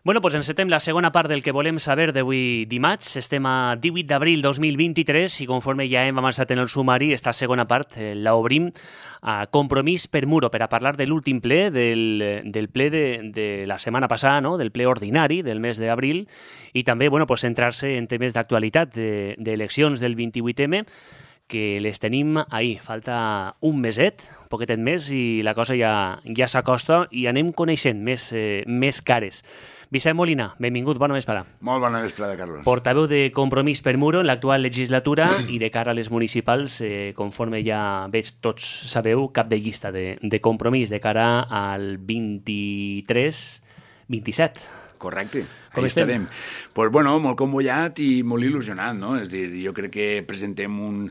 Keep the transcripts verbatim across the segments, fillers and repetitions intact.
Bueno, doncs encetem la segona part del que volem saber d'avui dimarts. Estem a divuit d'abril dos mil vint-i-tres i conforme ja hem avançat en el sumari, esta segona part eh, l'obrim a Compromís per Muro per a parlar de l'últim ple, del, del ple de, de la setmana passada, no? Del ple ordinari del mes d'abril i també bueno, pues, centrar-se en temes d'actualitat d'eleccions de, del vint-i-vuit eme que les tenim ahir. Falta un meset, un poquetet més i la cosa ja, ja s'acosta i anem coneixent més, eh, més cares. Vicent Molina, benvingut, bona vesprada. Molt bona vesprada, Carlos. Portaveu de Compromís per Muro en l'actual legislatura i de cara a les municipals, eh, conforme ja veig, tots sabeu, cap de llista de, de Compromís de cara al vint-i-tres vint-i-set. Correcte, Com ahí estem? estarem. Pues, bueno, molt convollat i molt il·lusionat, no? És dir, jo crec que presentem un,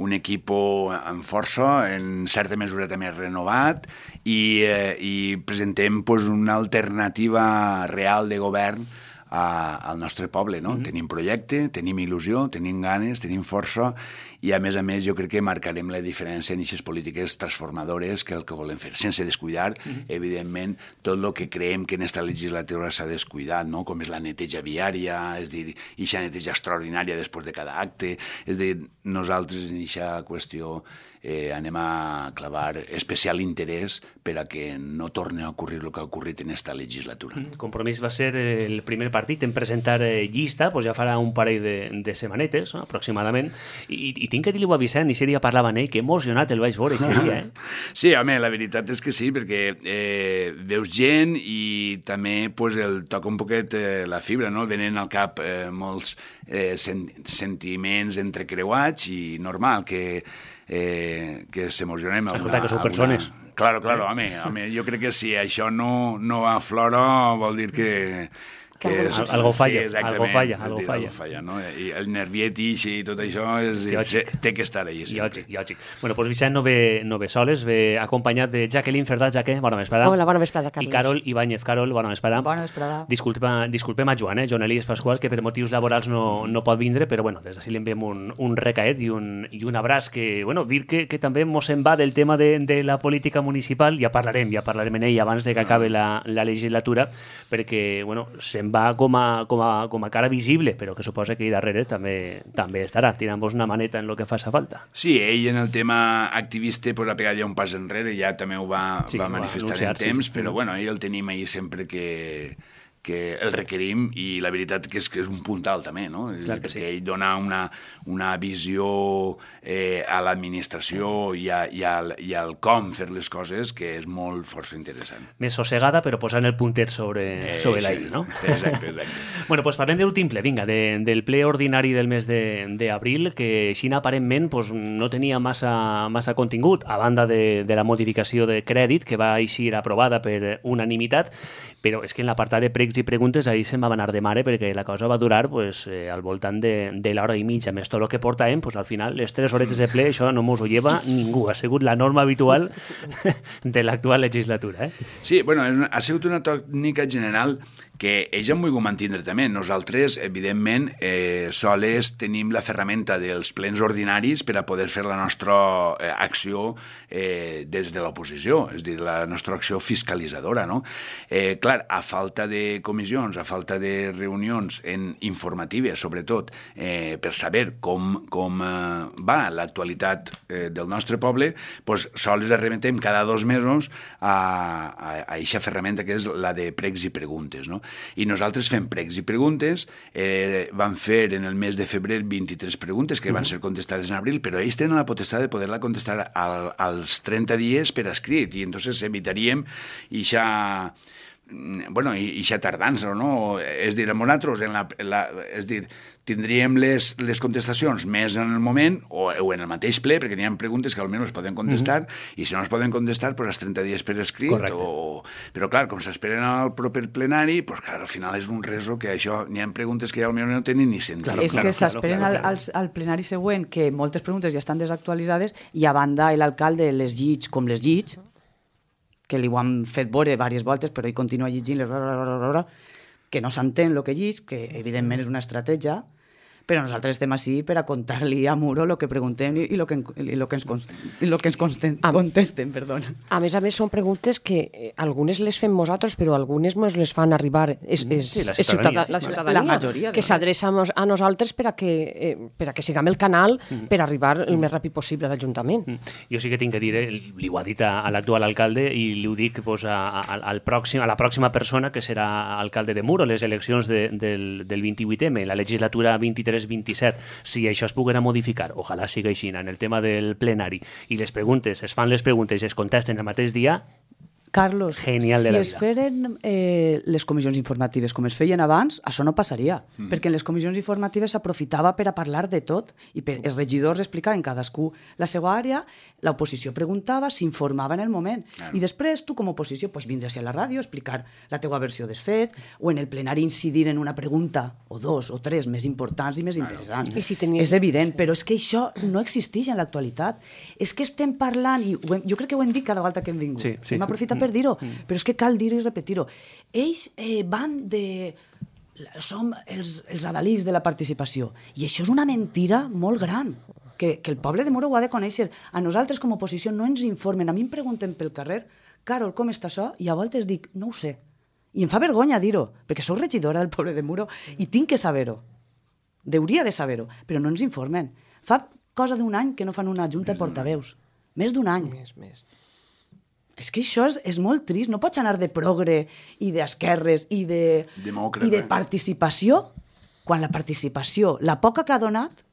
un equipo amb força, en certa mesura també renovat, i, eh, i presentem pues, una alternativa real de govern a, al nostre poble, no? Mm-hmm. Tenim projecte, tenim il·lusió, tenim ganes, tenim força, i a més a més jo crec que marcarem la diferència en aquestes polítiques transformadores que el que volem fer, sense descuidar, mm-hmm. evidentment, tot el que creiem que en aquesta legislatura s'ha descuidat, no? Com és la neteja viària, és dir, aquesta neteja extraordinària després de cada acte, és dir, nosaltres en aquesta qüestió eh, anem a clavar especial interès per a que no torni a ocorrir el que ha ocorrit en aquesta legislatura. Mm, Compromís va ser el primer partit en presentar eh, llista, doncs ja farà un parell de, de setmanetes, no? Aproximadament, i, i tinc que dir-li a Vicent, i aquest dia parlava amb ell, que emocionat el vaig veure aquest dia, eh? Sí, home, la veritat és que sí, perquè eh, veus gent i també pues, el toca un poquet eh, la fibra, no? Venen al cap eh, molts eh, sen sentiments entrecreuats i normal que Eh, que s'emocionem. Escolta, que sou persones. Una... Claro, claro, home, home, jo crec que si això no, no aflora vol dir que... que és, algo falla, sí, algo falla, algo dir, falla. Algo falla, no? I el nerviet i tot això és, té que estar allà sempre. Lògic, lògic. Bueno, doncs Vicent no ve, no ve soles, ve acompanyat de Jacqueline Ferdà. Jaque, bona vesprada. Hola, bona vesprada, Carlos. I Carol Ibáñez. Carol, bona vesprada. Bona vesprada. Disculpa, disculpem a Joan, eh? Joan Elies Pasqual, que per motius laborals no, no pot vindre, però bueno, des d'ací li enviem un, un recaet i un, i un abraç que, bueno, dir que, que també mos en va del tema de, de la política municipal, ja parlarem, ja parlarem en ell abans de que acabe la, la legislatura, perquè, bueno, se'n va com a Com a, com a cara visible, però que suposa que ahí darrere també, també estarà, tirant-vos una maneta en el que faça falta. Sí, ell en el tema activista pues, ha pegat ja un pas enrere, ja també ho va, sí, va manifestar va anunciar, en temps, sí, sí. Però bueno, ell el tenim ahí sempre que, que el requerim i la veritat que és que és un puntal també, no? Clar que perquè sí. ell dona una, una visió eh, a l'administració i, a, i, al, i al com fer les coses que és molt força interessant. Més sossegada, però posant el puntet sobre, eh, sobre sí, l'aire, no? Exacte, exacte. Bueno, doncs parlem de l'últim ple, vinga, de, del ple ordinari del mes d'abril, que així aparentment pues, no tenia massa, massa contingut, a banda de, de la modificació de crèdit, que va eixir aprovada per unanimitat, però és que en l'apartat de pregs i preguntes ahir se'n va anar de mare perquè la cosa va durar pues, eh, al voltant de, de l'hora i mitja. Més tot el que portàvem, pues, al final, les tres horetes de ple, això no mos ho lleva ningú. Ha sigut la norma habitual de l'actual legislatura. Eh? Sí, bueno, és una, ha sigut una tònica general que ells han volgut mantenir també. Nosaltres, evidentment, eh, soles tenim la ferramenta dels plens ordinaris per a poder fer la nostra eh, acció eh, des de l'oposició, és a dir, la nostra acció fiscalitzadora, no? Eh, clar, a falta de comissions, a falta de reunions en informatives, sobretot, eh, per saber com, com eh, va l'actualitat eh, del nostre poble, doncs sols arremetem cada dos mesos a aquesta ferramenta que és la de pregs i preguntes, no? I nosaltres fem pregs i preguntes, eh, vam fer en el mes de febrer vint-i-tres preguntes que van ser contestades en abril, però ells tenen la potestat de poder-la contestar al, als trenta dies per escrit, i entonces evitaríem ixa bueno, i ixa tardança, no? És dir, nosaltres, en la, la, és dir, tindríem les, les contestacions més en el moment o, o en el mateix ple, perquè n'hi ha preguntes que almenys es poden contestar, mm-hmm. i si no es poden contestar, pues, els trenta dies per escrit. O... Però, clar, com s'esperen al proper plenari, pues, clar, al final és un reso que això, n'hi ha preguntes que almenys no tenen ni sentit. Claro, és claro, que s'esperen claro, claro. al, al plenari següent, que moltes preguntes ja estan desactualitzades, i a banda l'alcalde les llig com les llig, que li ho han fet veure diverses voltes, però ell continua llegint-les, que no s'entén el que llig, que evidentment és una estratègia, però nosaltres estem així per a contar-li a Muro el que preguntem i el que, i lo que ens, i lo que ens consten, contesten. Perdó. A més a més, són preguntes que eh, algunes les fem nosaltres, però algunes ens les fan arribar és, és, sí, la és ciutadania, ciutadania, la ciutadania la majoria, que s'adreça a nosaltres per a que, eh, per a que siguem el canal per arribar el més ràpid possible a l'Ajuntament. Jo sí que tinc que dir, eh, li ho ha dit a, a l'actual alcalde i li ho dic pues, a, a, al pròxim, a la pròxima persona que serà alcalde de Muro, les eleccions de, del, del vint-i-vuit eme, la legislatura vint-i-tres vint-i-set, si això es poguera modificar, ojalà sigui així, en el tema del plenari, i les preguntes, es fan les preguntes i es contesten el mateix dia, Carlos, genial de si la es vida. feren eh, les comissions informatives com es feien abans, això no passaria, mm. perquè en les comissions informatives s'aprofitava per a parlar de tot i per, els regidors explicaven cadascú la seva àrea, l'oposició preguntava, s'informava en el moment, claro. I després tu com a oposició pues, vindries a la ràdio a explicar la teua versió dels fets o en el plenari incidir en una pregunta o dos o tres més importants i més claro. Interessants. I si tenies... És evident, però és que això no existeix en l'actualitat. És que estem parlant, i hem, jo crec que ho hem dit cada volta que hem vingut, sí, sí. hem aprofitat per dir-ho, mm. però és que cal dir-ho i repetir-ho. Ells eh, van de... Som els, els adalís de la participació. I això és una mentira molt gran, que, que el poble de Muro ho ha de conèixer. A nosaltres, com a oposició, no ens informen. A mi em pregunten pel carrer, Carol, com està això? I a voltes dic, no ho sé. I em fa vergonya dir-ho, perquè sóc regidora del poble de Muro i tinc que saber-ho. Deuria de saber-ho, però no ens informen. Fa cosa d'un any que no fan una junta de portaveus. Més d'un any. Més, més. És que això és, és molt trist. No pots anar de progre i d'esquerres i de, i de participació quan la participació, la poca que ha donat,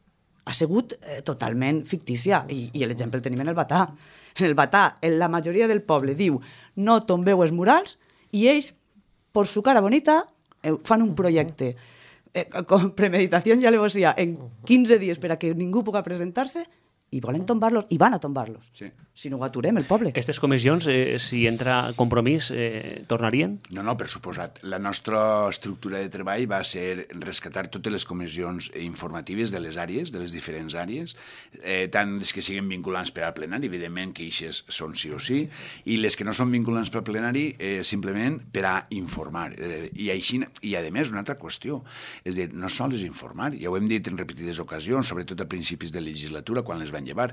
ha sigut eh, totalment fictícia. I, i l'exemple el tenim en el Batà. En el Batà, la majoria del poble diu no tombeu els murals i ells, per su cara bonita, eh, fan un projecte eh, con premeditació i alevosía en quinze dies per a que ningú pugui presentar-se i volen tombar-los, i van a tombar-los. Sí. Si no ho aturem, el poble. Aquestes comissions, eh, si entra Compromís, eh, tornarien? No, no, per suposat. La nostra estructura de treball va ser rescatar totes les comissions informatives de les àrees, de les diferents àrees, eh, tant les que siguin vinculants per al plenari, evidentment que eixes són sí o sí, i les que no són vinculants per al plenari, eh, simplement per a informar. Eh, i, així, I, a més, una altra qüestió, és dir, no sols informar, ja ho hem dit en repetides ocasions, sobretot a principis de legislatura, quan les van llevar,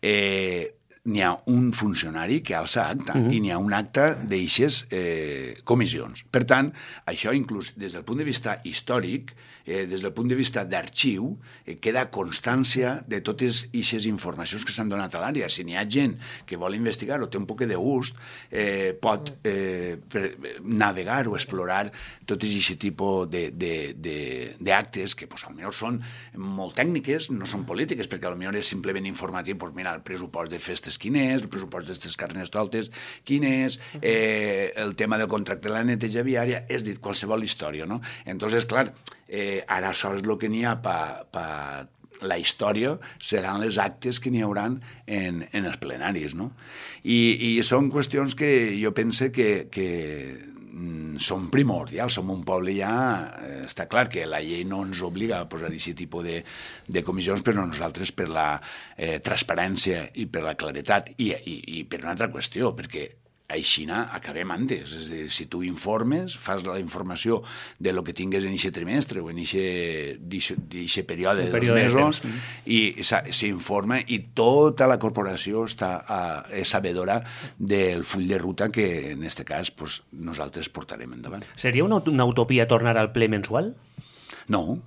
eh, n'hi ha un funcionari que alça acta uh-huh. i n'hi ha un acte d'eixes eh, comissions. Per tant, això inclús des del punt de vista històric, eh, des del punt de vista d'arxiu, eh, queda constància de totes eixes informacions que s'han donat a l'àrea. Si n'hi ha gent que vol investigar o té un poc de gust, eh, pot eh, per, navegar o explorar tot aquest tipus d'actes que pues, potser són molt tècniques, no són polítiques, perquè potser és simplement informatiu, pues, mira, el pressupost de festes quin és, el pressupost d'aquestes carnestoltes quin és, eh, el tema del contracte de la neteja viària, és dir, qualsevol història, no? Entonces, clar, eh, ara això és el que n'hi ha per pa la història, seran les actes que n'hi hauran en, en els plenaris, no? I, i són qüestions que jo pense que, que són primordials, som un poble ja, eh, està clar que la llei no ens obliga a posar aquest tipus de, de comissions, però nosaltres per la eh, transparència i per la claretat i, i, i per una altra qüestió, perquè així acabem antes. És a dir, si tu informes, fas la informació de lo que tingues en aquest trimestre o en aquest període de dos mesos i s'informa i tota la corporació està a, sabedora del full de ruta que en aquest cas pues, nosaltres portarem endavant. Seria una, una utopia tornar al ple mensual? No,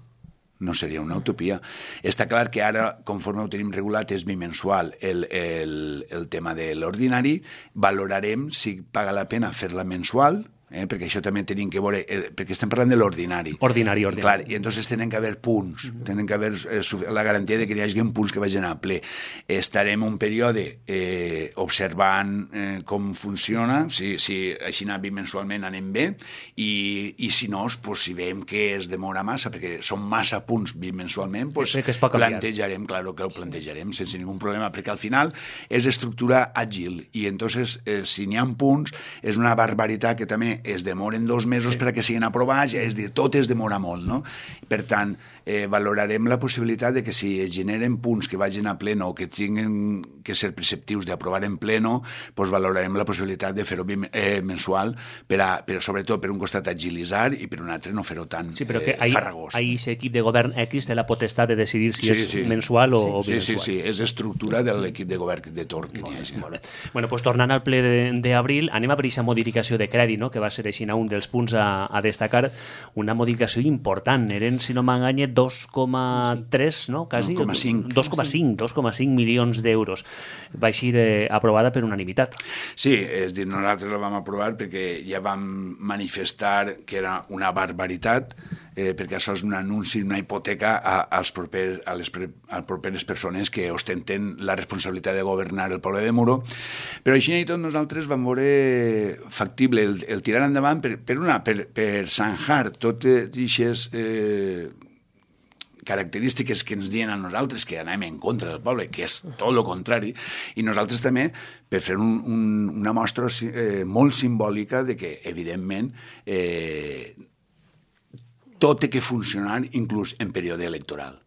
no seria una utopia. Està clar que ara, conforme ho tenim regulat, és bimensual el, el, el tema de l'ordinari. Valorarem si paga la pena fer-la mensual, eh, perquè això també tenim que veure, eh, perquè estem parlant de l'ordinari. Ordinari, ordinari. Clar, i entonces tenen que haver punts, uh-huh. tenen que haver eh, la garantia de que hi hagi punts que vagin a ple. Estarem un període eh, observant eh, com funciona, si, si així anar bimensualment anem bé, i, i si no, pues, si veiem que es demora massa, perquè són massa punts bimensualment, pues, plantejarem, claro que ho plantejarem sense ningú problema, perquè al final és estructura àgil, i entonces, eh, si n'hi ha punts, és una barbaritat que també també es demoren dos mesos sí. perquè siguin aprovats, és dir, tot es demora molt, no? Per tant, eh, valorarem la possibilitat de que si es generen punts que vagin a pleno o que tinguin que ser preceptius d'aprovar en pleno, doncs valorarem la possibilitat de fer-ho eh, mensual, per a, per, sobretot per un costat agilitzar i per un altre no fer-ho tan sí, però que eh, ahí, farragós. Ahí ese equip de govern X té la potestat de decidir si sí, és sí. mensual o, sí. o Sí, bimensual. sí, sí, és estructura de l'equip de govern de Torn que n'hi ha. Sí. Molt bé. Bueno, pues, tornant al ple d'abril, anem a per aquesta modificació de crèdit, no? Que va ser així un dels punts a, a destacar, una modificació important, eren, si no m'enganye, dos coma tres, no? Quasi, dos coma cinc. dos coma cinc, dos coma cinc milions d'euros. Va així eh, aprovada per unanimitat. Sí, és dir, nosaltres la vam aprovar perquè ja vam manifestar que era una barbaritat, eh, perquè això és un anunci, una hipoteca a, als propers, a, les pre, a les properes persones que ostenten la responsabilitat de governar el poble de Muro. Però així i tot nosaltres vam veure factible el, el tirar endavant per, per, una, per, per zanjar totes aquestes eh, característiques que ens diuen a nosaltres que anem en contra del poble, que és tot el contrari, i nosaltres també per fer un, un, una mostra eh, molt simbòlica de que, evidentment, eh, tot té que funcionar inclús en període electoral,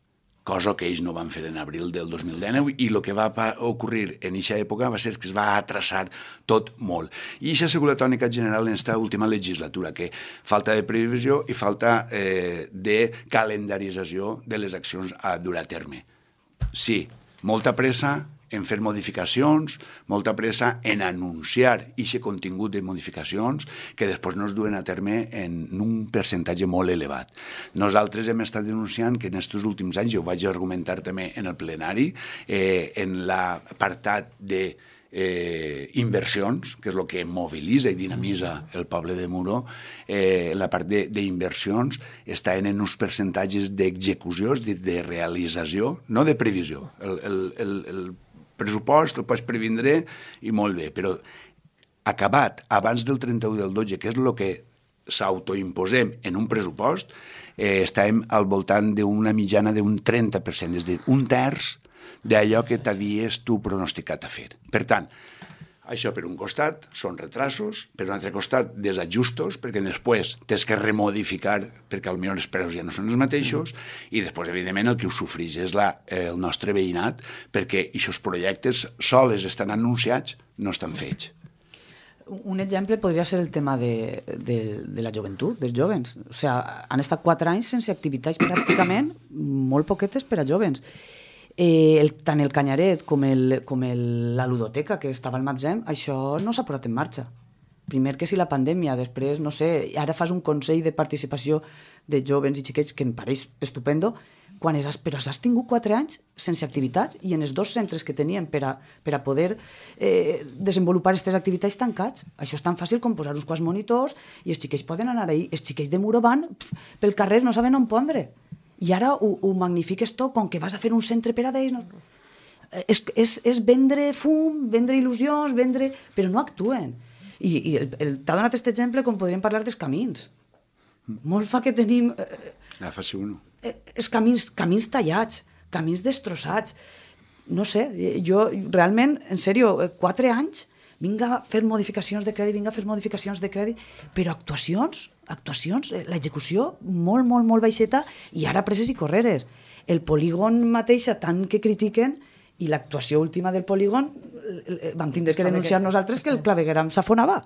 cosa que ells no van fer en abril del dos mil dinou, i el que va ocorrir en aquesta època va ser que es va atrasar tot molt. I això ha sigut la tònica general en aquesta última legislatura, que falta de previsió i falta eh, de calendarització de les accions a dur a terme. Sí, molta pressa en fer modificacions, molta pressa en anunciar aquest contingut de modificacions que després no es duen a terme en un percentatge molt elevat. Nosaltres hem estat denunciant que en aquests últims anys, jo ho vaig argumentar també en el plenari, eh, en l'apartat de eh, inversions, que és el que mobilitza i dinamitza el poble de Muro, eh, la part d'inversions està en uns percentatges d'execució, de, de realització, no de previsió. El, el, el, el pressupost el pots previndre i molt bé, però acabat abans del trenta-u del dotze, que és el que s'autoimposem en un pressupost, eh, estàvem al voltant d'una mitjana d'un trenta per cent, és a dir, un terç d'allò que t'havies tu pronosticat a fer. Per tant, això per un costat són retrasos, per un altre costat desajustos, perquè després tens que remodificar perquè potser els preus ja no són els mateixos, i després, evidentment, el que ho sofreix és la, eh, el nostre veïnat, perquè aquests projectes sols estan anunciats, no estan fets. Un exemple podria ser el tema de, de, de la joventut, dels jovens. O sigui, han estat quatre anys sense activitats pràcticament, molt poquetes per a jovens. Eh, el, tant el Canyaret com, el, com el, la ludoteca que estava al Matzem, això no s'ha posat en marxa. Primer que si la pandèmia, després, no sé, ara fas un consell de participació de jovens i xiquets que em pareix estupendo, quan has, però has tingut quatre anys sense activitats i en els dos centres que teníem per a, per a poder eh, desenvolupar aquestes activitats tancats. Això és tan fàcil com posar uns quants monitors i els xiquets poden anar ahí. Els xiquets de Muro van pf, pel carrer, no saben on pondre. I ara ho, ho magnifiques tot, com que vas a fer un centre per a d'ells. No? És, és, és vendre fum, vendre il·lusions, vendre... però no actuen. I, i el, el, t'ha donat aquest exemple com podríem parlar dels camins. Molt fa que tenim... Eh, ah, faci uno. Eh, els camins, camins tallats, camins destrossats. No sé, jo realment, en sèrio, quatre anys... vinga a fer modificacions de crèdit, vinga a fer modificacions de crèdit, però actuacions, actuacions, l'execució molt, molt, molt baixeta i ara presses i correres. El polígon mateixa, tant que critiquen, i l'actuació última del polígon, vam tindre que denunciar nosaltres que el clavegueram s'afonava.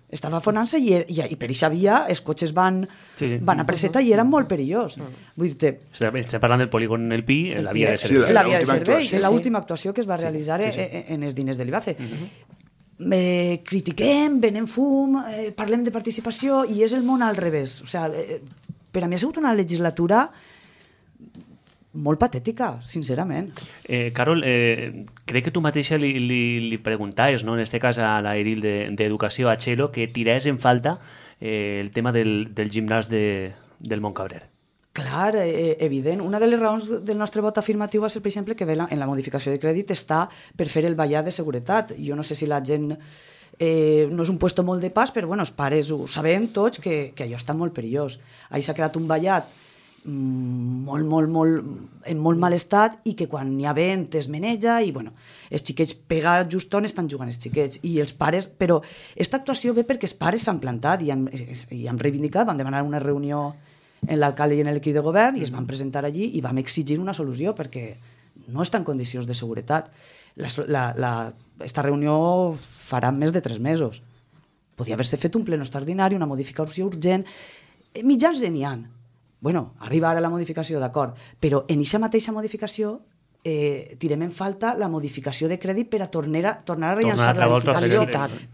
Estava afonant-se i, i, i per aquesta via els cotxes van, sí, sí. van a presseta i eren molt perillós. Vull dir, estem parlant del polígon El Pi, la via de servei. Sí, la, la via de servei, sí, l'última actuació que es va realitzar sí, sí, sí. en els diners de l'I B A C E. Uh-huh. Eh, critiquem, venem fum, eh, parlem de participació i és el món al revés. O sigui, eh, per a mi ha sigut una legislatura molt patètica, sincerament. Eh, Carol, eh, crec que tu mateixa li, li, li preguntaves, no? En este cas a la edil d'Educació, de, a Txelo, que tirés en falta eh, el tema del, del gimnàs de, del Montcabrer. Clar, eh, evident. Una de les raons del nostre vot afirmatiu va ser, per exemple, que en la modificació de crèdit està per fer el ballat de seguretat. Jo no sé si la gent... Eh, no és un puesto molt de pas, però bueno, els pares ho sabem tots que, que allò està molt perillós. Ahí s'ha quedat un ballat molt, molt, molt, en molt mal estat i que quan hi ha vent es meneja i, bueno, els xiquets pegats just on estan jugant els xiquets i els pares, però aquesta actuació ve perquè els pares s'han plantat i han, i han reivindicat, van demanar una reunió en l'alcalde i en l'equip de govern i es van presentar allí i vam exigir una solució perquè no està en condicions de seguretat. La, la, la, esta reunió farà més de tres mesos. Podia haver-se fet un pleno extraordinari, una modificació urgent. Mitjans n'hi ha. Bueno, arriba ara la modificació, d'acord, però en aquesta mateixa modificació eh, tirem en falta la modificació de crèdit per a tornar a, tornar a rellançar la licitació,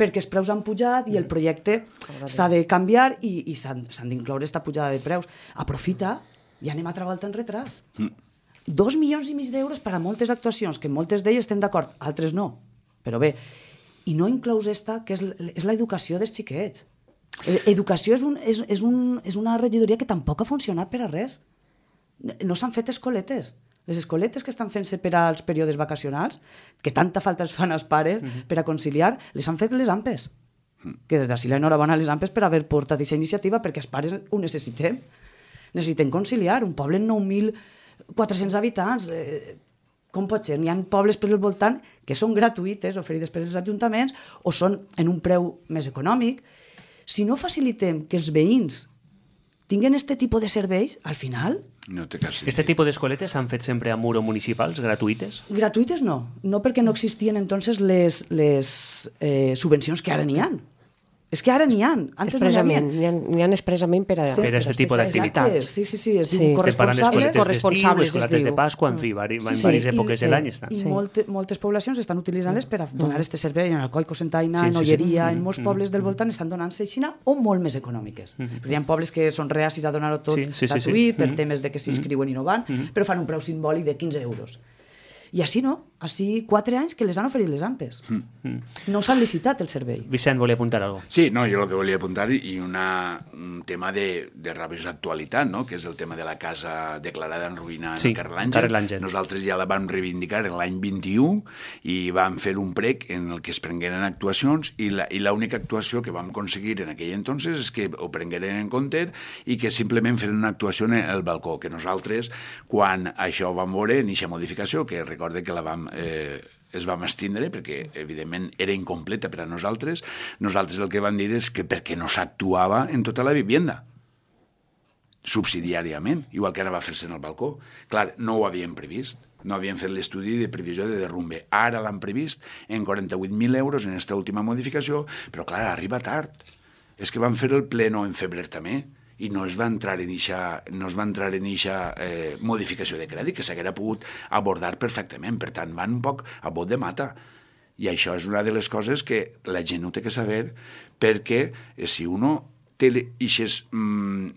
perquè els preus han pujat i el projecte s'ha de canviar i, i s'han d'incloure aquesta pujada de preus. Aprofita i anem altra volta en retras. Mm. Dos milions i mig d'euros per a moltes actuacions, que moltes d'elles estem d'acord, altres no, però bé, i no inclous esta, que és, és l'educació dels xiquets. Educació és, un, és, és, un, és una regidoria que tampoc ha funcionat per a res. No s'han fet escoletes. Les escoletes que estan fent-se per als períodes vacacionals, que tanta falta es fan als pares uh-huh. per a conciliar, les han fet les AMPEs. Uh-huh. Que des d'ací l'enhorabona a les AMPEs per haver portat aquesta iniciativa, perquè els pares ho necessitem. Necessitem conciliar. Un poble amb nou mil quatre-cents habitants... Eh, com pot ser? N'hi ha pobles per al voltant que són gratuïtes, oferides per als ajuntaments, o són en un preu més econòmic. Si no facilitem que els veïns tinguen aquest tipus de serveis, al final... No té cas. Este tipus d'escoletes s'han fet sempre a muro municipals, gratuïtes? Gratuïtes no, no perquè no existien entonces les, les eh, subvencions que ara n'hi ha. És que ara n'hi ha. Antes expressament, no n'hi ha. N'hi ha expressament per a... Sí, per a aquest tipus d'activitats. Sí, sí, sí, es sí. diu corresponsables. Corresponsables, escolates de Pasqua, en fi, vari, sí, en diverses èpoques sí. de l'any estan. I sí. molte, moltes poblacions estan utilitzant-les per a donar aquest servei en Alcoi, Cocentaina, sí, en Olleria, sí, sí. en molts pobles del voltant estan donant-se aixina o molt més econòmiques. Mm-hmm. Perquè hi ha pobles que són reacis a donar-ho tot sí, sí, gratuït sí, sí. per mm-hmm. temes de que s'inscriuen i no van, mm-hmm. però fan un preu simbòlic de quinze euros. I així no, així quatre anys que les han oferit les AMPEs. Mm. No s'han licitat el servei. Vicent, volia apuntar alguna cosa? Sí, no, jo el que volia apuntar i una, un tema de, de rabiosa actualitat, no? Que és el tema de la casa declarada en ruïna sí, en el carrer L'Àngel. Nosaltres ja la vam reivindicar en l'any vint-i-u i vam fer un prec en el que es prengueren actuacions i l'única actuació que vam aconseguir en aquell entonces és que ho prengueren en compte i que simplement feren una actuació en el balcó, que nosaltres, quan això ho vam veure en aquesta modificació, que recorde que la vam, eh, es vam estindre perquè, evidentment, era incompleta per a nosaltres. Nosaltres el que vam dir és que perquè no s'actuava en tota la vivienda, subsidiàriament, igual que ara va fer-se en el balcó. Clar, no ho havíem previst, no havíem fet l'estudi de previsió de derrumbe. Ara l'han previst en quaranta-vuit mil euros en aquesta última modificació, però clar, arriba tard. És que van fer el pleno en febrer també, i no es va entrar en eixa, no es va entrar en eixa eh, modificació de crèdit, que s'haguera pogut abordar perfectament. Per tant, van un poc a bot de mata. I això és una de les coses que la gent ho té que saber, perquè eh, si uno té eixes mm,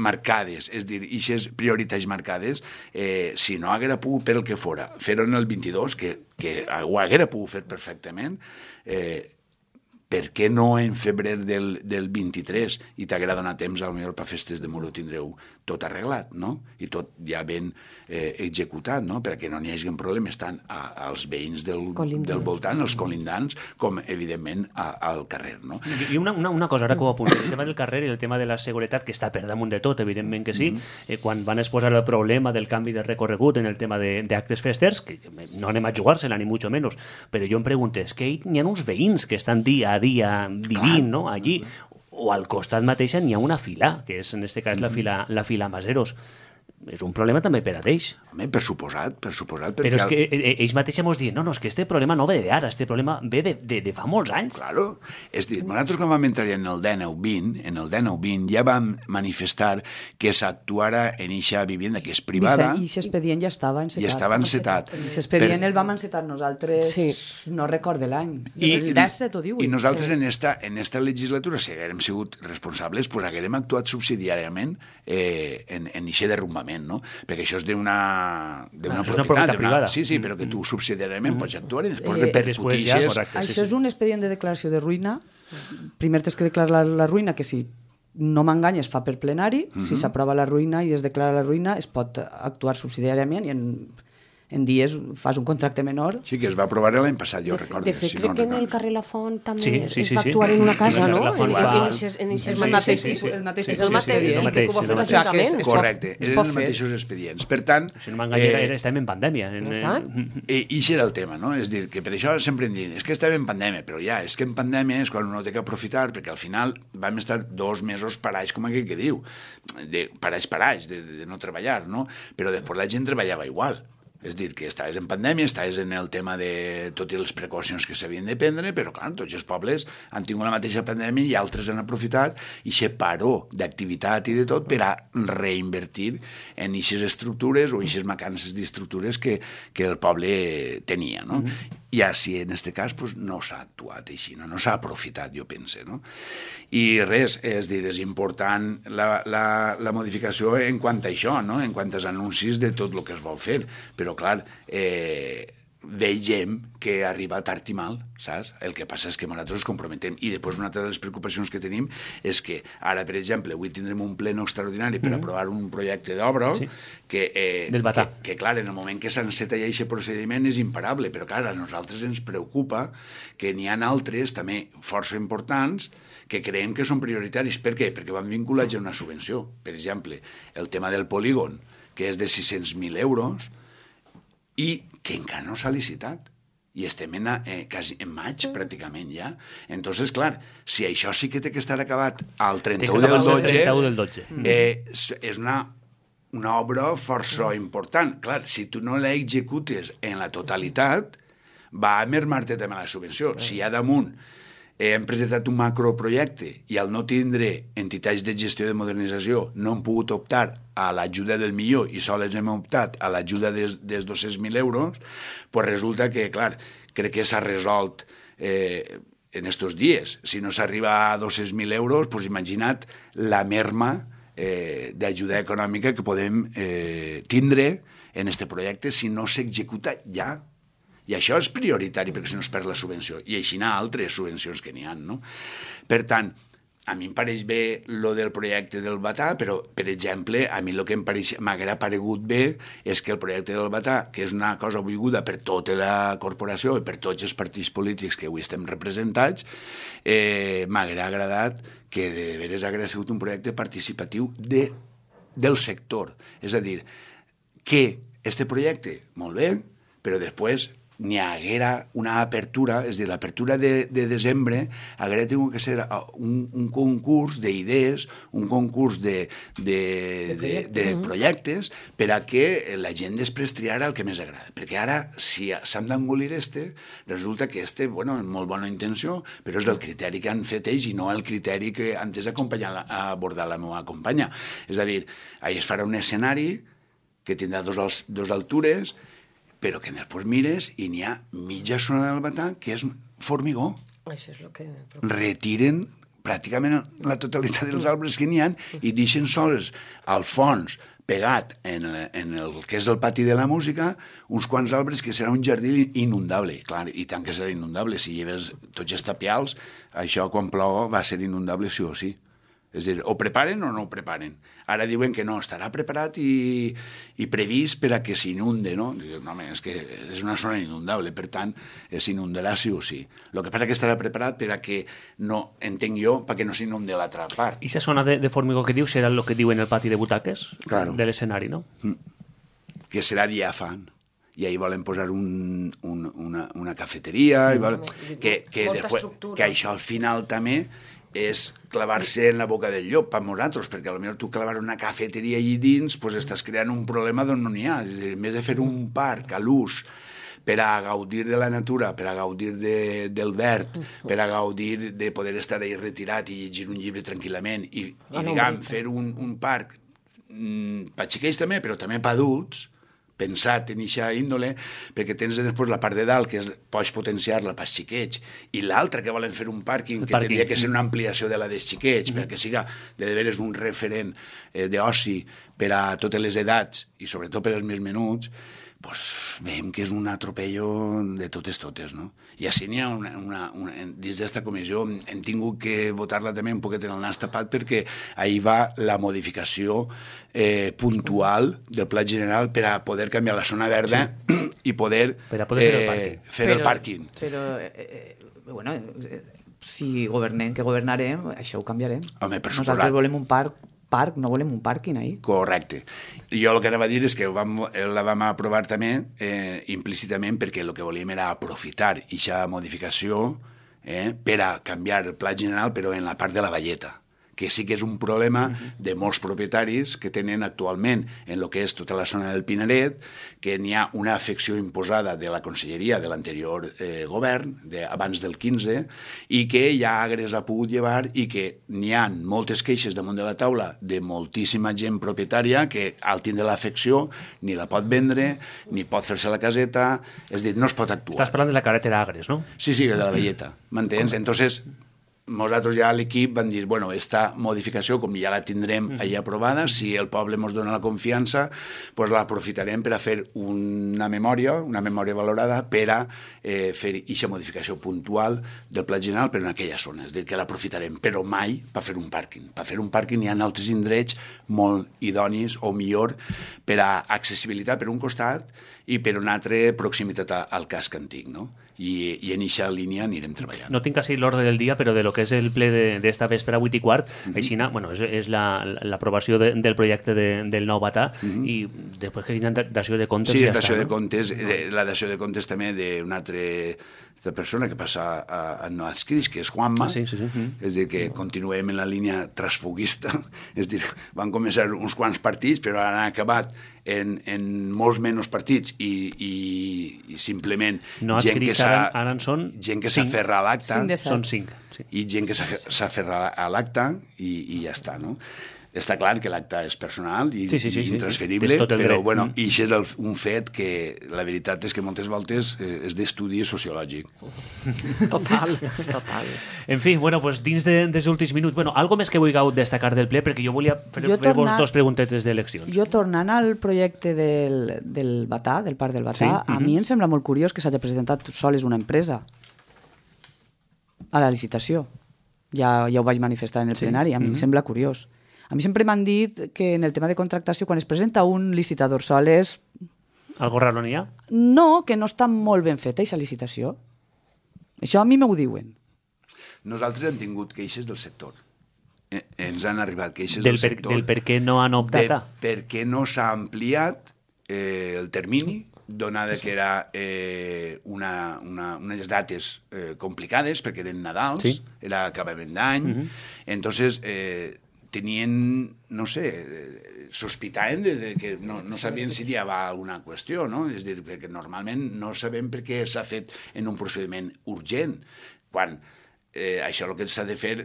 marcades, és a dir, eixes prioritats marcades, eh, si no haguera pogut, per el que fora, fer-ho en el vint-i-dos, que, que ho haguera pogut fer perfectament, eh, per què no en febrer del, del vint-i-tres i t'haguera donat temps, potser per festes de Muro tindreu tot arreglat, no? I tot ja ben eh, executat, no? Perquè no n'hi hagi problemes tant a, als veïns del, del voltant, als colindants, com, evidentment, a, al carrer, no? I una, una, una cosa, ara que ho apunto, el tema del carrer i el tema de la seguretat, que està per damunt de tot, evidentment que sí, mm-hmm. eh, quan van exposar el problema del canvi de recorregut en el tema d'actes festers, que no anem a jugar-se-la, ni mucho menos, però jo em pregunto, és que hi ha uns veïns que estan dia a dia vivint, no?, allí, o al costat mateixa n'hi ha una fila, que és en este cas la fila, la fila Maseros. És un problema també per a ells. Home, per suposat, per suposat. Però és que ells mateixos ens diuen, no, no, és que este problema no ve d'ara, este problema ve de, de, de fa molts anys. Claro. És dir, nosaltres quan vam entrar en el dinou vint, en el dinou vint ja vam manifestar que s'actuara en eixa vivienda que és privada. I aquest expedient ja estava encetat. I estava encetat. Aquest expedient per... el vam encetar nosaltres, sí. no recorde l'any. El disset ho diu. I nosaltres sí. en, esta, en esta legislatura, si haguérem sigut responsables, pues haguérem actuat subsidiàriament eh, en eixe derrumbament. No? Perquè això és d'una d'una propietat privada. Sí, sí, però que tu subsidiàriament mm-hmm. pots actuar i després eh, repercutixes. Ja, això sí, sí. és un expedient de declaració de ruïna. Primer tens que declarar la, la ruïna, que si no m'enganyes fa per plenari, mm-hmm. si s'aprova la ruïna i es declara la ruïna es pot actuar subsidiàriament i en, en dies fas un contracte menor. Sí, que es va aprovar l'any passat, jo recordo. De fet, si crec no que en el recordo. carrer La Font també Sí, sí, es sí, va sí. actuar en una casa, En no? La Font En fa- eixes- en eixes Sí, mateixos sí, sí, sí. El mateix Sí, tipus sí, sí, d'expedient. és el mateix, I que ho va és fer el mateix. gratuïtament. Es pot- Correcte, es eren pot els fer. mateixos expedients. Per tant, Si no m'enganya, eh, era- estàvem en pandèmia. En, Exacte. en, I això era el tema, no? És dir, que per això sempre em diuen, és que estem en pandèmia, però ja, és que en pandèmia és quan uno té que aprofitar, perquè al final vam estar dos mesos parats, com aquell que diu, de, parats, parats, de, de no treballar, no? Però després la gent treballava igual. És dir, que estaves en pandèmia, estaves en el tema de totes les precaucions que s'havien de prendre, però, clar, tots els pobles han tingut la mateixa pandèmia i altres han aprofitat i se paró d'activitat i de tot per a reinvertir en aquestes estructures o aquestes mancances d'estructures que, que el poble tenia, no? Mm-hmm. I així, en aquest cas, pues, no s'ha actuat així, no, no s'ha aprofitat, jo pense, no? I res, és dir, és important la, la, la modificació en quant a això, no? En quant als anuncis de tot el que es vol fer, però, clar, eh, veiem que arriba tard i mal, saps? El que passa és que nosaltres ens comprometem. I després una altra de les preocupacions que tenim és que ara, per exemple, avui tindrem un pleno extraordinari per mm-hmm. aprovar un projecte d'obra sí. que, eh, Del Batà. que, que, clar, en el moment que s'enceta ja aquest procediment és imparable, però, clar, a nosaltres ens preocupa que n'hi ha altres també força importants que creiem que són prioritaris. Per què? Perquè van vinculats a una subvenció. Per exemple, el tema del polígon, que és de sis-cents mil euros, i que encara no s'ha licitat. I estem en, eh, quasi en maig, pràcticament, ja. Entonces, clar, si això sí que té que estar acabat al trenta-u del dotze, trenta-u del dotze. Eh, és una, una obra força important. Clar, si tu no la executes en la totalitat, va a mermar-te també la subvenció. Si hi ha damunt eh, hem presentat un macroprojecte i al no tindre entitats de gestió de modernització no hem pogut optar a l'ajuda del millor i sols hem optat a l'ajuda dels, dels dos-cents mil euros, pues resulta que, clar, crec que s'ha resolt eh, en estos dies. Si no s'arriba a dos-cents mil euros, pues imagina't la merma eh, d'ajuda econòmica que podem eh, tindre en este projecte si no s'executa ja. I això és prioritari perquè si no es perd la subvenció. I així n'hi ha altres subvencions que n'hi ha, no? Per tant, a mi em pareix bé lo del projecte del Batà, però, per exemple, a mi el que m'haguera paregut bé és que el projecte del Batà, que és una cosa volguda per tota la corporació i per tots els partits polítics que avui estem representats, eh, m'haguera agradat que de veres hagués sigut un projecte participatiu de, del sector. És a dir, que este projecte, molt bé, però després n'hi haguera una apertura, és a dir, l'apertura de, de desembre haguera tingut que ser un, un concurs d'idees, un concurs de, de, de, projectes. de, de projectes per a que la gent després triara el que més agrada. Perquè ara, si s'han d'engolir este, resulta que este, bueno, és molt bona intenció, però és el criteri que han fet ells i no el criteri que antes ha abordat la meva companya. És a dir, ahí es farà un escenari que tindrà dos, dos altures, però que després mires i n'hi ha mitja zona del Batà que és formigó. Això és el que... Retiren pràcticament la totalitat dels arbres que n'hi ha i deixen sols al fons, pegat en, en el que és el pati de la música, uns quants arbres que serà un jardí inundable. Clar, i tant que serà inundable. Si lleves tots els tapials, això quan plou va ser inundable sí o sí. És a dir, o preparen o no ho preparen. Ara diuen que no, estarà preparat i, i previst per a que s'inunde, no? Diuen, no, home, és que és una zona inundable, per tant, s'inundarà sí o sí. El que passa que estarà preparat per a que no, entenc jo, perquè no s'inunde l'altra part. I aquesta zona de, de formigó que dius serà el que diuen el pati de butaques claro. de l'escenari, no? Mm. Que serà diàfan. I ahí volen posar un, un, una, una cafeteria, mm. i volen, que, que, després, que això al final també és clavar-se en la boca del llop per nosaltres, perquè potser tu clavar una cafeteria allà dins pues estàs creant un problema d'on no n'hi ha. És a dir, en vez de fer un parc a l'ús per a gaudir de la natura, per a gaudir de, del verd, per a gaudir de poder estar ahí retirat i llegir un llibre tranquil·lament i, i diguem, fer un, un parc mm, per xiquets també, però també per adults, pensat en eixa índole, perquè tens després la part de dalt, que és, pots potenciar-la pels xiquets, i l'altra que volen fer un pàrquing, que tindria que ser una ampliació de la dels xiquets, mm. perquè siga de veres un referent eh, d'oci per a totes les edats, i sobretot per als més menuts, pues, veiem que és un atropello de totes totes, no? I així n'hi ha una, una, una, dins d'esta comissió hem tingut que votar-la també un poquet en el nas tapat perquè ahir va la modificació eh, puntual del pla general per a poder canviar la zona verda sí. i poder, per a poder fer el pàrquing. Eh, fer però, el pàrquing. Però, eh, bueno, si governem, que governarem, això ho canviarem. Home, per Nosaltres suposat. volem un parc, parc, no volem un pàrquing ahir. Correcte. Jo el que anava a dir és que ho vam, la vam aprovar també eh, implícitament perquè el que volíem era aprofitar aquesta modificació eh, per a canviar el pla general però en la part de la valleta, que sí que és un problema de molts propietaris que tenen actualment en el que és tota la zona del Pinaret, que n'hi ha una afecció imposada de la conselleria de l'anterior eh, govern, de, abans del quinze, i que ja Agres ha pogut llevar i que n'hi ha moltes queixes damunt de la taula de moltíssima gent propietària que al tindre l'afecció ni la pot vendre, ni pot fer-se la caseta, és a dir, no es pot actuar. Estàs parlant de la carretera Agres, no? Sí, sí, de la velleta, m'entens? Entonces, nosaltres ja a l'equip van dir, bueno, esta modificació, com ja la tindrem allà aprovada, si el poble ens dona la confiança, pues l'aprofitarem per a fer una memòria, una memòria valorada, per a eh, fer aquesta modificació puntual del pla general per en aquella zona. És a dir, que l'aprofitarem, però mai per fer un pàrquing. Per fer un pàrquing hi ha altres indrets molt idonis o millor per a accessibilitat per un costat i per una altra proximitat al casc antic, no? I, i en aquesta línia anirem treballant. No tinc quasi l'ordre del dia, però de lo que és el ple d'esta vespre a vuit i quart, uh-huh. així, bueno, és, és l'aprovació la, de, del projecte de, del nou Batà uh-huh. i després que hi ha dació de comptes sí, ja dació està. De comptes, no? La dació de comptes també d'una altra persona que passa a, a no adscrits, que és Juanma, ah, sí, sí, sí. Uh-huh. és dir, que continuem en la línia transfuguista, és dir, van començar uns quants partits, però han acabat en, en molts menys partits i, i, i simplement no gent que s'ha ara en són gent que s'aferra a l'acte són cinc sí. i gent que s'aferra a l'acte i, i ja està, no? Està clar que l'acte és personal i, sí, sí, sí, i intransferible, sí, però dret. bueno, i això és un fet que la veritat és que moltes voltes eh, és d'estudi sociològic. Total, total. En fi, bueno, pues dins de, dels últims minuts, bueno, algo més que vulgueu destacar del ple, perquè jo volia fer, jo fer tornar, vos dos preguntetes d'eleccions. Jo tornant al projecte del, del Batà, del Parc del Batà, sí? a uh-huh. mi em sembla molt curiós que s'hagi presentat sols una empresa a la licitació. Ja, ja ho vaig manifestar en el sí. plenari, a mi uh-huh. em sembla curiós. A mi sempre m'han dit que en el tema de contractació, quan es presenta un licitador sol és... Algo raro n'hi ha? No, que no està molt ben feta, aquesta licitació. Això a mi m'ho diuen. Nosaltres hem tingut queixes del sector. Eh, ens han arribat queixes del, del per, sector. Del per què no han optat a? Per què no s'ha ampliat eh, el termini, donada que era eh, una, una, unes dates eh, complicades, perquè eren Nadals, sí. era acabament d'any, uh-huh. entonces... Eh, tenien, no sé, sospitaven de, de que no, no sabien si hi havia alguna qüestió, no? És dir, perquè normalment no sabem per què s'ha fet en un procediment urgent, quan eh, això el que s'ha de fer...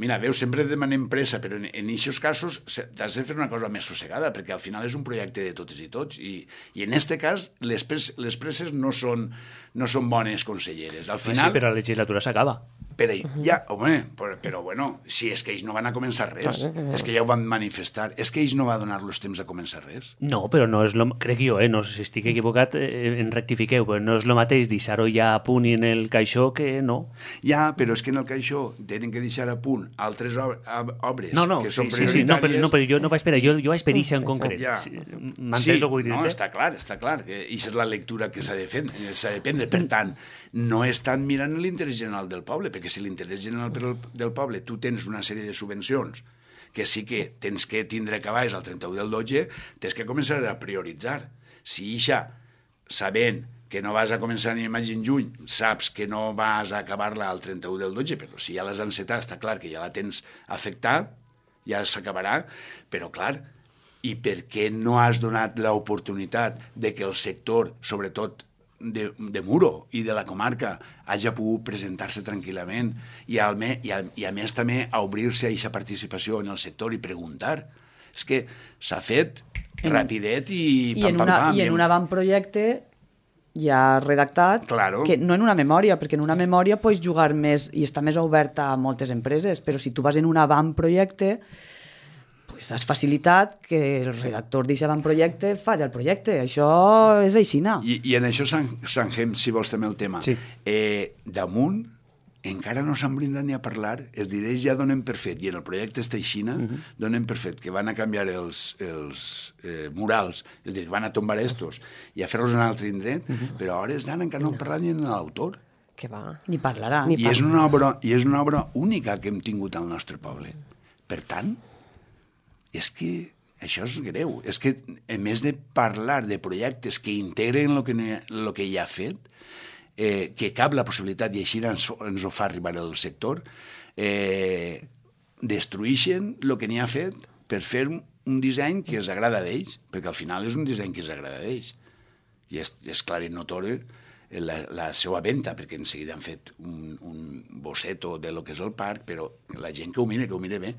Mira, veus, sempre demanem pressa, però en aquests casos t'has de fer una cosa més sossegada, perquè al final és un projecte de totes i tots, i, i en aquest cas les, pres, les presses no són, no són bones conselleres. Al final... Sí, però la legislatura s'acaba. Però ja, home, però, però bueno, si és que ells no van a començar res, és que ja ho van manifestar, és que ells no va donar-los temps a començar res. No, però no és lo... Crec jo, eh, no sé si estic equivocat, eh, en rectifiqueu, però no és el mateix deixar-ho ja a punt i en el caixó que no. Ja, però és que en el caixó tenen que deixar a punt altres obres no, no, que són sí, prioritàries. Sí, sí, no, però, no, però jo no vaig per jo, jo vaig per això en concret. Ja. M'entens sí, el que vull dir? No, està clar, està clar, que això és la lectura que s'ha de fer, s'ha de prendre. Per tant, no estan mirant l'interès general del poble, perquè si l'interès general del poble tu tens una sèrie de subvencions que sí que tens que tindre acabaix al trenta-u del dotze, tens que començar a prioritzar. Si ixa, sabent que no vas a començar ni maig en juny, saps que no vas a acabar-la al trenta-u del dotze, però si ja l'has encetat, està clar que ja la tens afectat, ja s'acabarà, però clar, i per què no has donat l'oportunitat de que el sector, sobretot de, de Muro i de la comarca, hagi pogut presentar-se tranquil·lament i, al me, i, a, i a més també a obrir-se a aquesta participació en el sector i preguntar? És que s'ha fet en, rapidet i, i pam, en pam, una, pam. I en un avantprojecte ja redactat, claro. que no en una memòria, perquè en una memòria pots jugar més i està més oberta a moltes empreses, però si tu vas en un avantprojecte, pues S'has facilitat que el redactor d'aquest avantprojecte faci el projecte. Això és aixina. I, i en això s'enhem, si vols, també el tema. Sí. Eh, damunt, encara no s'han brindat ni a parlar, els dirells ja donen per fet, i en el projecte està aixina, uh -huh. donen per fet que van a canviar els, els eh, murals, és a dir, van a tombar estos i a fer-los en un altre indret, uh -huh. però a hores d'ara encara no han parlat ni en l'autor. Que va. Ni parlarà. Ni I és, una obra, I és una obra única que hem tingut al nostre poble. Per tant, és que això és greu. És que, a més de parlar de projectes que integren el que, el que ja ha fet, eh, que cap la possibilitat, i així ens, ens ho fa arribar el sector, eh, destrueixen el que n'hi ha fet per fer un disseny que els agrada d'ells, perquè al final és un disseny que els agrada d'ells. I és, és clar i notori la, la seva venda, perquè en seguida han fet un, un bosseto de lo que és el parc, però la gent que ho mira, que ho mira bé,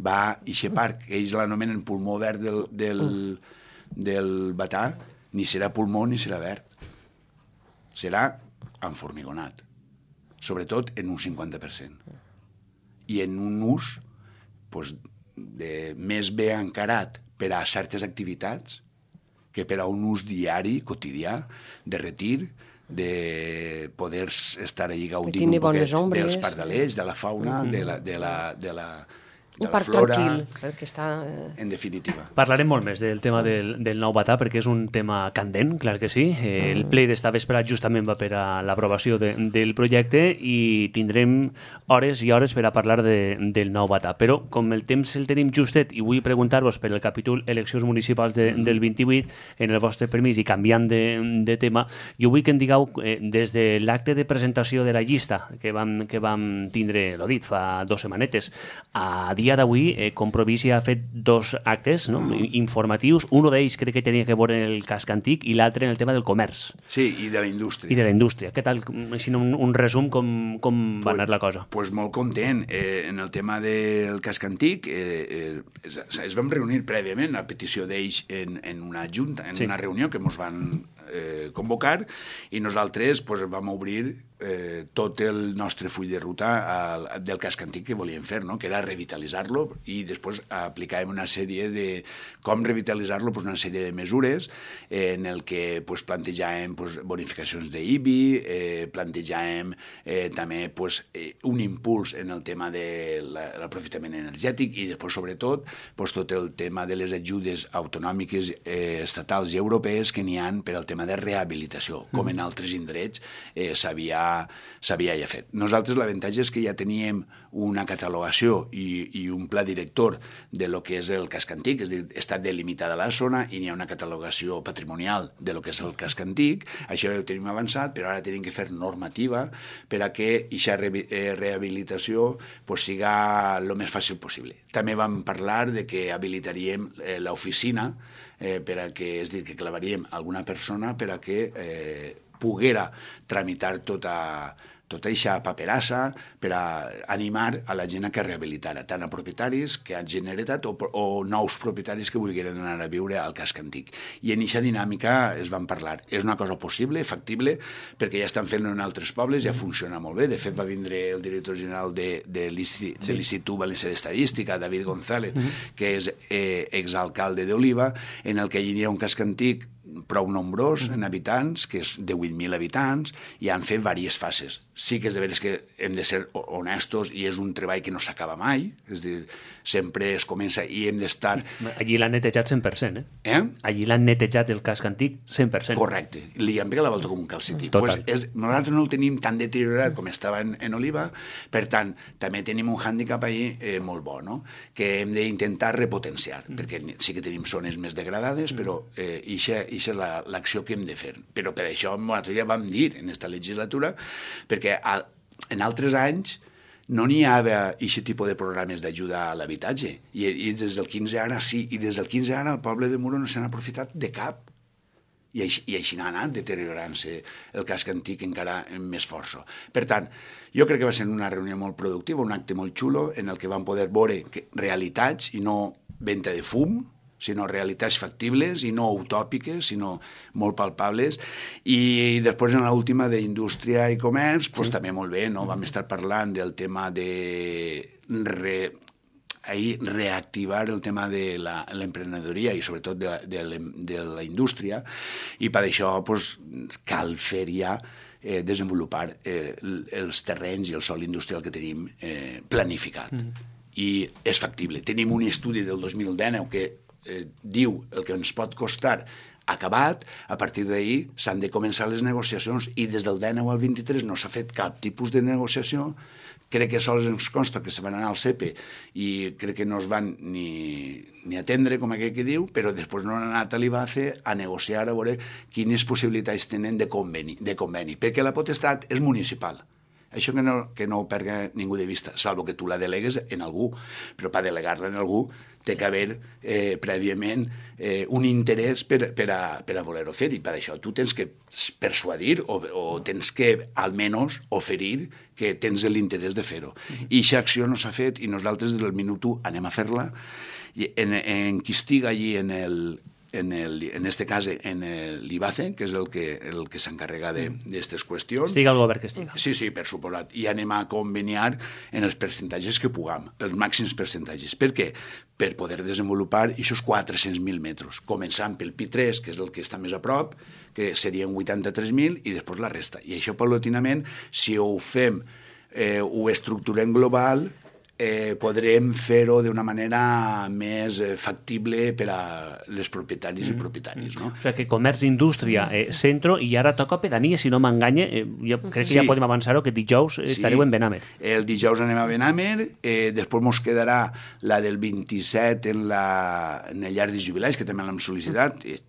va a aquest parc, ells l'anomenen pulmó verd del, del, del Batà, ni serà pulmó ni serà verd. Serà enformigonat, sobretot en un cinquanta per cent. I en un ús pues, de, més bé encarat per a certes activitats que per a un ús diari, quotidià, de retir, de poder estar allà gaudint un poquet dels pardalers, de la fauna, mm. de la... De la, de la un parc flora, tranquil, perquè està... En definitiva. Parlarem molt més del tema del, del nou Batà, perquè és un tema candent, clar que sí. Eh, el ple d'esta vesprada justament va per a l'aprovació de, del projecte i tindrem hores i hores per a parlar de, del nou Batà. Però, com el temps el tenim justet, i vull preguntar-vos per el capítol eleccions municipals de, del vint-i-vuit, en el vostre permís i canviant de, de tema, jo vull que em digueu, eh, des de l'acte de presentació de la llista que vam, que vam tindre, l'ho dit, fa dues setmanetes, a dia d'avui, eh, Compromís ja ha fet dos actes, no? mm. informatius. Un d'ells crec que tenia que veure en el casc antic i l'altre en el tema del comerç. Sí, i de la indústria. I de la indústria. Què tal, així un, un resum, com, com va pues, anar la cosa? Doncs pues molt content. Eh, en el tema del casc antic eh, eh, es, es vam reunir prèviament a petició d'ells en, en una junta, en sí. una reunió que ens van eh, convocar, i nosaltres pues, vam obrir eh, tot el nostre full de ruta al, del casc antic que volíem fer, no? Que era revitalitzar-lo, i després aplicàvem una sèrie de com revitalitzar-lo, pues, una sèrie de mesures eh, en el que pues, plantejàvem pues, bonificacions d'I B I, eh, plantejàvem eh, també pues, eh, un impuls en el tema de l'aprofitament energètic, i després, sobretot, pues, tot el tema de les ajudes autonòmiques eh, estatals i europees que n'hi ha per al tema de rehabilitació, com en altres indrets eh, s'havia s'havia ja fet. Nosaltres l'avantatge és que ja teníem una catalogació i, i un pla director de lo que és el casc antic, és a dir, està delimitada la zona i n'hi ha una catalogació patrimonial de lo que és el casc antic. Això ja ho tenim avançat, però ara tenim que fer normativa per a que aquesta re eh, rehabilitació pues, siga el més fàcil possible. També vam parlar de que habilitaríem eh, l'oficina eh, per a que, és a dir, que clavaríem alguna persona per a que eh, poguera tramitar tota, tota aquesta paperassa per a animar a la gent a que rehabilitara, tant a propietaris que han generat o, o nous propietaris que volgueren anar a viure al casc antic. I en aquesta dinàmica es van parlar. És una cosa possible, factible, perquè ja estan fent-ho en altres pobles, ja funciona molt bé. De fet, va vindre el director general de, de l'Institut Valencià d'Estadística, David González, mm-hmm. que és eh, exalcalde d'Oliva, en el que hi ha un casc antic prou nombrós en habitants, que és de vuit mil habitants, i han fet diverses fases. Sí que és de veres que hem de ser honestos i és un treball que no s'acaba mai, és a dir, sempre es comença i hem d'estar... Allí l'han netejat cent per cent, eh? Eh? Allí l'han netejat el casc antic cent per cent. Correcte. Li han pegat la volta com un calcetí. Pues és, nosaltres no el tenim tan deteriorat com estava en, en Oliva, per tant, també tenim un hàndicap ahí eh, molt bo, no? Que hem d'intentar repotenciar, mm. perquè sí que tenim zones més degradades, però eh, ixa, ixa és l'acció la, que hem de fer. Però per això nosaltres ja vam dir en aquesta legislatura, perquè a, en altres anys no n'hi havia aquest tipus de programes d'ajuda a l'habitatge. I, I des del quinze ara sí, i des del quinze ara el poble de Muro no s'han aprofitat de cap. I així, i així n'ha anat deteriorant-se el casc antic encara amb més força. Per tant, jo crec que va ser una reunió molt productiva, un acte molt xulo, en el que vam poder veure que, realitats i no venta de fum, sinó realitats factibles i no utòpiques, sinó molt palpables. I després, en l'última d'Indústria i Comerç, pues, sí. també molt bé, no? Vam estar parlant del tema de re, ahir reactivar el tema de l'emprenedoria i sobretot de, de, de la indústria, i per això pues, cal fer ja eh, desenvolupar eh, els terrenys i el sòl industrial que tenim eh, planificat. Mm. I és factible. Tenim un estudi del dos mil dinou que eh, diu el que ens pot costar acabat, a partir d'ahir s'han de començar les negociacions i des del dinou al vint-i-tres no s'ha fet cap tipus de negociació. Crec que sols ens consta que se van anar al C E P E i crec que no es van ni, ni atendre, com aquell que diu, però després no han anat a l'I B A C E a negociar a veure quines possibilitats tenen de conveni, de conveni, perquè la potestat és municipal. Això que no, que no ho perga ningú de vista, salvo que tu la delegues en algú, però per delegar-la en algú té que haver eh, prèviament eh, un interès per, per, a, per a voler-ho fer, i per això tu tens que persuadir o, o tens que almenys oferir que tens l'interès de fer-ho. Mm-hmm. I aquesta acció no s'ha fet i nosaltres del minut u anem a fer-la. I en, en qui estiga allí en el en, el, en este cas en l'I B A C E, que és el que, el que s'encarrega d'aquestes qüestions. Estiga el govern que estiga. Sí, sí, per suposat. I anem a conveniar en els percentatges que puguem, els màxims percentatges. Per què? Per poder desenvolupar aquests quatre-cents mil metres, començant pel Pi tres, que és el que està més a prop, que serien vuitanta-tres mil, i després la resta. I això, paulatinament, si ho fem, eh, ho estructurem global, Eh, podrem fer-ho d'una manera més eh, factible per a les propietaris mm. i propietaris. No? O sigui que comerç, indústria, eh, centro, i ara toca pedania, si no m'enganye, eh, jo crec que sí. Ja podem avançar-ho, que dijous estareu sí. en Benamer. El dijous anem a Benamer, eh, després mos quedarà la del vint-i-set en, la, en el llar de jubilats, que també l'hem sol·licitat, mm.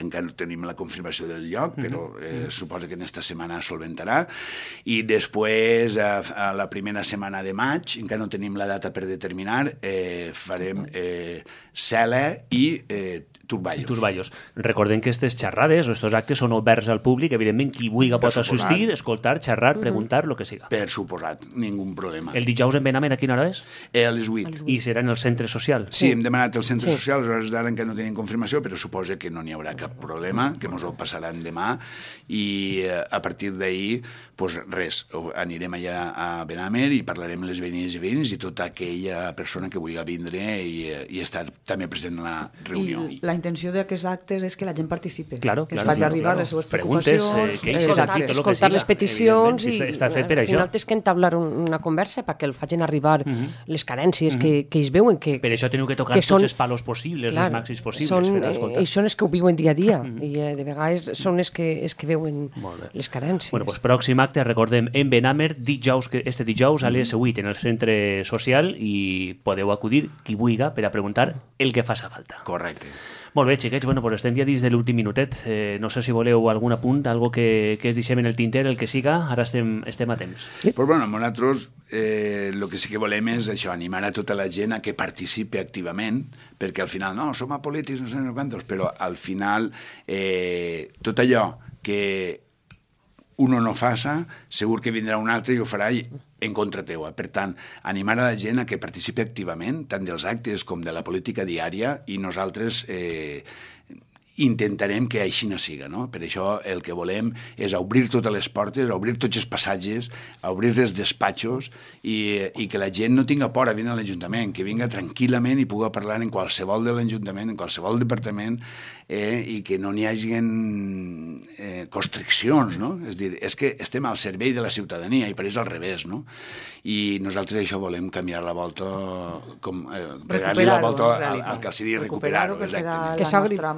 encara no tenim la confirmació del lloc, però eh, suposa que en esta setmana solventarà. I després, a, a la primera setmana de maig, encara no tenim la data per determinar, eh, farem eh, Cela i eh, Turballos. Turballos. Recordem que aquestes xerrades o aquests actes són oberts al públic, evidentment qui vulgui pot assistir, escoltar, xerrar, preguntar, el que siga. Per suposat, ningú problema. El dijous en Benamer a quina hora és? Eh, a les vuit. I serà en el centre social? Sí, hem demanat el centre sí. social, a hores d'ara encara no tenim confirmació, però suposa que no n'hi haurà cap problema, que ens ho passaran demà, i eh, a partir d'ahir, pues res, anirem allà a Benamer i parlarem amb les veïnes i veïns i tota aquella persona que vulgui vindre i, i estar també present en la reunió. I la intenció d'aquests actes és que la gent participi, claro, que claro, es faci claro, arribar claro. les seues preguntes, preocupacions, eh, que escoltar, escoltar, escoltar les peticions i està fet per al això. final tens que entablar una conversa perquè el facin arribar uh -huh. les carències uh -huh. que, que ells veuen que, per això teniu que tocar que són, tots els palos possibles, clar, els màxims possibles són, per escoltar. I són els que ho viuen dia a dia uh -huh. i eh, de vegades són els que, els que veuen les carències. Bueno, pues pròxim acte, recordem, en Benamer, dijous, este dijous a les vuit en el centre social, i podeu acudir qui vulgui per a preguntar el que faça falta. Correcte. Molt bé, xiquets, bueno, pues estem ja dins de l'últim minutet. Eh, no sé si voleu algun apunt, algo que, que es deixem en el tinter, el que siga, ara estem, estem a temps. Sí. Pues bueno, nosaltres eh, el que sí que volem és això, animar a tota la gent a que participi activament, perquè al final, no, som apolítics, no sé no quantos, però al final eh, tot allò que uno no faça, segur que vindrà un altre i ho farà en contra teua. Per tant, animar a la gent a que participi activament, tant dels actes com de la política diària, i nosaltres eh, intentarem que així no siga, no? Per això el que volem és obrir totes les portes, obrir tots els passatges, obrir els despatxos i, i que la gent no tinga por a vindre a l'Ajuntament, que vinga tranquil·lament i pugui parlar en qualsevol de l'Ajuntament, en qualsevol departament, eh, i que no n'hi hagi eh, constriccions, no? És dir, és que estem al servei de la ciutadania i per això al revés, no? I nosaltres això volem canviar la volta, com, eh, regalar-li la volta al, al que els sigui recuperar-ho, exactament.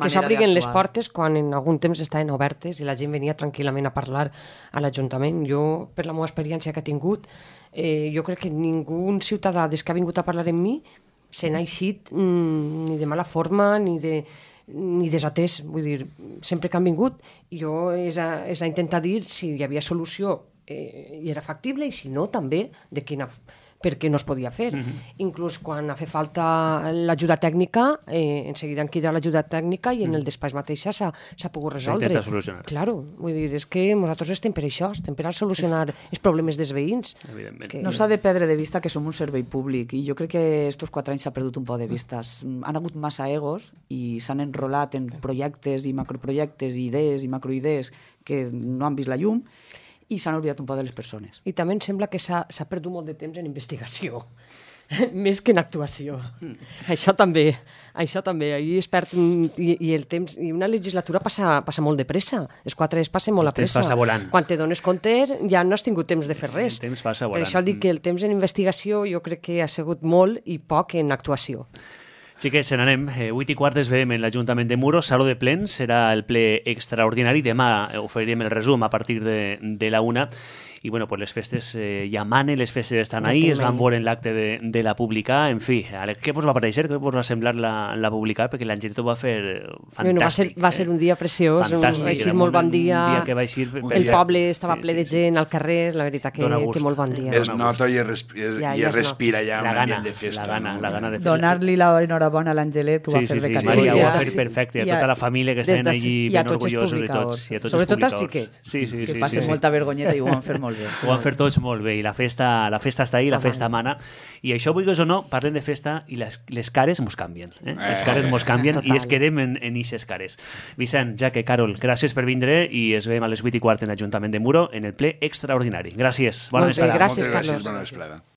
Que s'obriguen les portes quan en algun temps estaven obertes i la gent venia tranquil·lament a parlar a l'Ajuntament. Jo, per la meva experiència que he tingut, eh, jo crec que ningú ciutadà des que ha vingut a parlar amb mi se n'ha eixit mm, ni de mala forma ni de ni desatès, vull dir, sempre que han vingut jo és a, és a intentar dir si hi havia solució eh, i era factible, i si no també de quina, perquè no es podia fer. Mm-hmm. Inclús quan ha fet falta l'ajuda tècnica, eh, en seguida han cridat l'ajuda tècnica i en el despatx mateix s'ha pogut resoldre. S'intenta solucionar. Claro, vull dir, és que nosaltres estem per això, estem per a solucionar es... els problemes dels veïns. Evidentment. Que... No s'ha de perdre de vista que som un servei públic, i jo crec que estos quatre anys s'ha perdut un poc de vista. Han hagut massa egos i s'han enrolat en projectes i macroprojectes, idees i macroidees que no han vist la llum, i s'han oblidat un poc de les persones. I també em sembla que s'ha perdut molt de temps en investigació. Més que en actuació. Mm. Això també, això també. I, es perd, i, i, el temps, i una legislatura passa, passa molt de pressa. Els quatre anys passen molt a pressa. El temps passa volant. Quan te dones compte ja no has tingut temps de fer res. El temps passa volant. Per això dic que el temps en investigació jo crec que ha sigut molt i poc en actuació. Xiquets, se n'anem. Eh, vuit i quart es veiem en l'Ajuntament de Muro, Saló de Plens, serà el ple extraordinari. Demà oferirem el resum a partir de, de la una. I bueno, pues les festes eh, ja manen, les festes estan ahí, es van veure en l'acte de, de la publicar, en fi, què vos va pareixer, què vos va semblar la, la publicar? Perquè l'Angelito va fer fantàstic. Bueno, va, ser, va ser un dia preciós, fantàstic, va ser molt bon dia, un dia que va eixir, el poble estava sí, ple sí, de gent al carrer, la veritat que, que molt bon dia. Es nota i es, respira, ja, ja es respira ja un ambient de festa. La gana, la gana de fer. Donar-li l'enhorabona a l'Angelet, que ho va fer de categoria. Sí, ho va fer perfecte, a tota la família que estaven allí ben orgullosos de tots. Sobretot els xiquets, que passen molta vergonyeta i ho van fer molt bé. Ho van fer tots molt bé, i la festa, la festa està ahí, la festa mana, i això, vulguis o no, parlem de festa i les, les cares mos canvien, eh? les cares mos canvien i es quedem en, en ixes cares. Vicent, Jaque, Carol, gràcies per vindre i es veiem a les vuit i quart en l'Ajuntament de Muro en el ple extraordinari. Gràcies, bona vesprada. Gràcies, Moltes gràcies, Carlos. bona vesprada.